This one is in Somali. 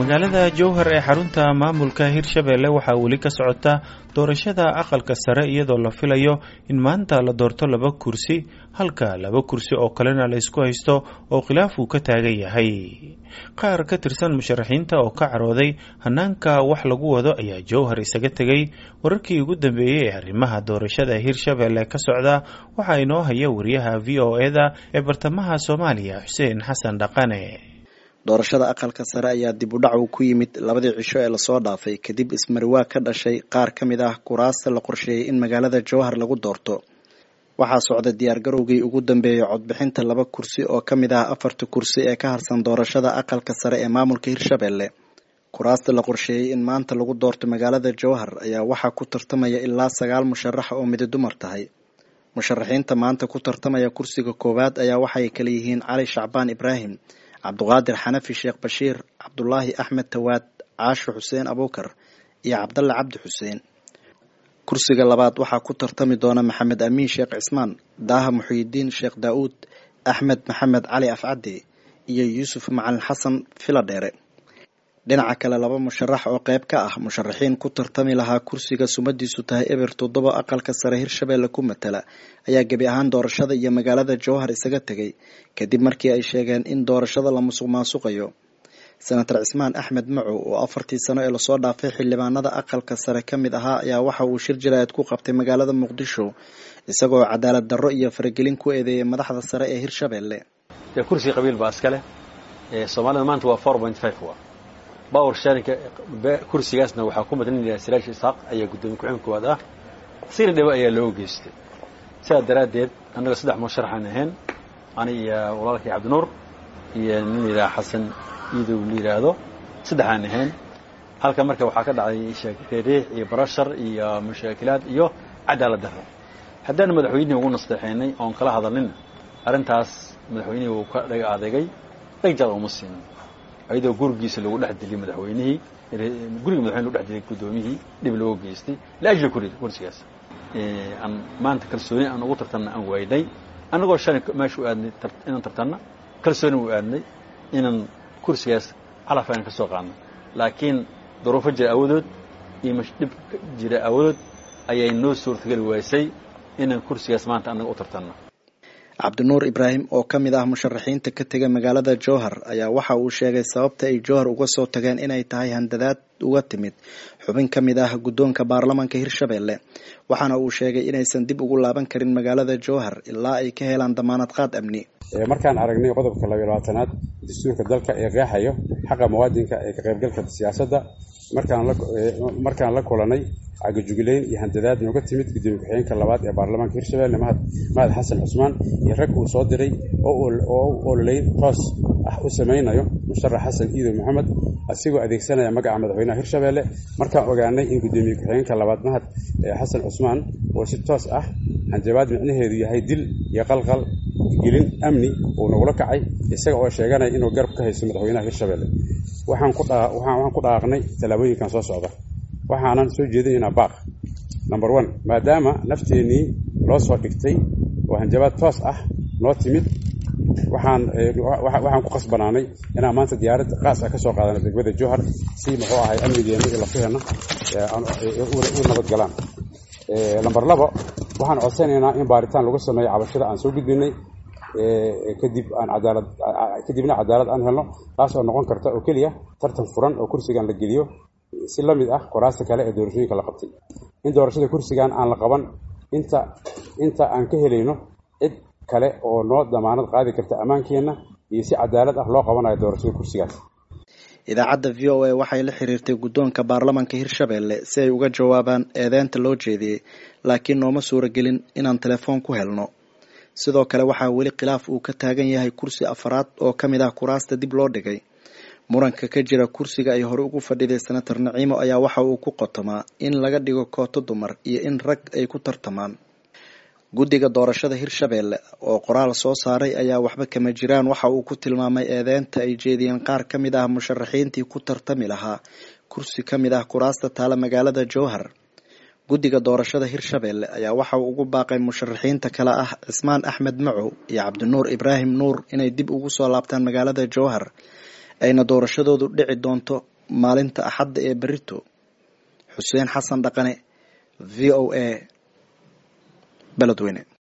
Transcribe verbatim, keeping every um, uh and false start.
Magaalada Jowhar ee xarunta maamulka Hirshabelle waxaa weli ka socota doorashada aqalka sare, iyadoo la filayo in maanta la doorto laba kursi, halka laba kursi oo kalena la isku haysto oo khilaaf uu ka taagan yahay. Qaar ka tirsan musharaxiinta oo ka carooday hanaanka wax lagu wado ayaa Jowhar isaga tegay. Wararkii ugu dambeeyey ee arrimaha doorashada Hirshabelle ka socda waxaa inoo haya wariyaha V O E-da ee bartamaha Soomaaliya, Xuseen Xasan Dhaqane. Doorashada aqalka sare ayaa dib u dhac uu ku yimid labadii cisho ee lasoo dhaafay kadib ismariwaa ka dhashay qaar ka mid ah kuraasta la qorsheeyey in magaalada Jowhar lagu doorto. Waxaa socda diyaargarowgii ugu dambeeyey codbixinta laba kursi oo ka mid ah afarta kursi ee ka harsan doorashada aqalka sare ee maamulka Hirshabelle. Kuraasta la qorsheeyey in maanta lagu doorto magaalada Jowhar ayaa waxaa ku tartamaya ilaa sagaal musharax oo midi dumar tahay. Musharaxiinta maanta ku tartamaya kursiga koowaad ayaa waxay kala yihiin Cali Shacbaan Ibraahim, Cabduqaadir Xanafi Sheekh Bashiir, Cabdulaahi Axmed Tawaad, Caasho Xuseen Abuukar iyo Cabdalle Cabdi Xuseen. Kursiga labaad waxaa ku tartami doona Maxamed Amiin Sheekh Cismaan, Daaha Muxyidiin Sheekh Daa'uud, Axmed Maxamed Cali Afcadde iyo Yuusuf Macalin Xasan Filadheere. Dhinaca kale, laba musharax oo qayb ka ah musharaxiin ku tartami lahaa kursiga sumadiisu tahay eber toddoba aqalka sare Hirshabelle ku matala ayaa gebi ahaan doorashada iyo magaalada Jowhar isaga tegay kadib markii ay sheegeen in doorashada la musuq maasuqayo. Senator Cismaan Axmed Macow oo afartii sano ee lasoo dhaafay xildhibaanada aqalka sare ka mid ahaa ayaa waxa uu shir jiraayad ku qabtay magaalada Muqdisho, isagoo cadaalad darro iyo faragelin ku eedeeyay madaxda sare ee Hirshabelle. Kursiga qabiil baa iskale Soomaalida maanta waa four point five power sharinka kursigaasna waxaa ku madlinaya Siraash Isaaq ayaa gudoomiye ku-xigeenka koowaad ah, sina dhibo ayaa loo geystay. Sidaa daraaddeed annaga saddex musharaxaan ahayn, ani iyo walaalkay Cabdinuur iyo nin la yidhaha Xasan Iidow la yidhaahdo, saddexaan ahayn. Halka marka waxaa ka dhacday riix iyo barashar iyo mushaakilaad iyo cadaalad darro. Haddaan madaxweynihii ugu nasteexaynay oon kala hadalnina arrintaas, madaxweynihii wuu ka dhaga adeegay, dhagjaad uma siinin, ayadoo gurigiisa lagu dhex dilay madaxweynihii, guriga madaxweyne lagu dhex dilay guddoomiyihii, dhib loo geystay liajli kursigaas. Aan maanta kalsooni aan ugu tartanna aan waynay, annagoo shalay meesha u aadnay inaan tartanna, kalsooni u aadnay inaan kursigaas calaf aan ka soo qaadno, laakiin duruufo jira awadood iyo dhib jira awadood ayay noo suurtageli waysay inaan kursigaas maanta annaga u tartanno. Cabdinuur Ibraahim oo ka mid ah musharaxiinta ka tegay magaalada Jowhar ayaa waxa uu sheegay sababta ay Jowhar uga soo tageen inay tahay handadaad uga timid xubin ka mid ah guddoonka baarlamaanka Hirshabelle, waxaana uu sheegay inaysan dib ugu laaban karin magaalada Jowhar ilaa ay ka helaan damaanad qaad amni. Markaan aragnay qodobka laba iyo labaatanaad dastuurka dalka ee qeexayo xaqa muwaadinka ee ka qaybgalka siyaasadda, markaan la kulanay cagajugleyn iyo handadaad nooga timid gudoomiye ku-xigeenka labaad ee baarlamaanka Hirshabelle Mahad Mahad Xasan Cusmaan iyo rag uu soo diray oo u ololeyn toos ah u sameynayo musharax Xasan Iidow Maxamed, asigoo adeegsanaya magaca madaxweynaha Hirshabelle. Markaan ogaanay in gudoomiye ku-xigeenka labaad Mahad Xasan Cusmaan oo si toos ah hanjabaad micnaheedu yahay dil iyo qalqal gelin amni uu nagula kacay, isaga oo sheeganaya inuu garab ka haysto madaxweynaha Hirshabelle, waxaan ku waxaan ku dhaaqnay tallaabooyinkan soo socda. Waxaanan soo jeedinaynaa baaq number one, maadaama nafteennii loo soo dhigtay oo hanjabaad toos ah noo timid, waxaan waxaan ku khasbanaanay inaan maanta diyaarad qaas ah ka soo qaadano degmada Jowhar si muxuu ahay amnigeenna iyo lafaheenna u nabadgalaan. Number labo, waxaan codsanaynaa in baaritaan lagu sameeyo cabashada aan soo gudbinay, kadib aan cadaalad kadibna cadaalad aan helno, taas oo noqon karta oo keliya tartan furan oo kursigan la geliyo si la mid ah kuraasta kale ee doorashooyinka la qabtay. In doorashada kursigan aan la qaban inta inta aan ka helayno cid kale oo noo damaanad qaadi karta ammaankeenna iyo si cadaalad ah loo qabanayo doorashada kursigaas. Idaacadda V O A waxay la xiriirtay guddoonka baarlamaanka Hirshabelle si ay uga jawaabaan eedeynta loo jeediyey, laakiin nooma suuragelin inaan telefoon ku helno. Sidoo kale waxaa weli khilaaf uu ka taagan yahay kursi afaraad oo ka mid ah kuraasta dib loo dhigay. Muranka ka jira kursiga ay hore ugu fadhiday Senator Naciimo ayaa waxa uu ku qotomaa in laga dhigo kooto dumar iyo in rag ay ku tartamaan. Guddiga doorashada Hirshabelle oo qoraal soo saaray ayaa waxba kama jiraan waxa uu ku tilmaamay eedeynta ay jeediyeen qaar ka mid ah musharaxiintii ku tartami lahaa kursi ka mid ah kuraasta taala magaalada Jowhar. Guddiga doorashada Hirshabelle ayaa waxa uu ugu baaqay musharaxiinta kale ah Cismaan Axmed Macow iyo Cabdinuur Ibraahim Nuur inay dib ugu soo laabtaan magaalada Jowhar, ayna doorashadoodu dhici doonto maalinta Axadda ee berrito. Xuseen Xasan Dhaqane, V O A, Beledweyne.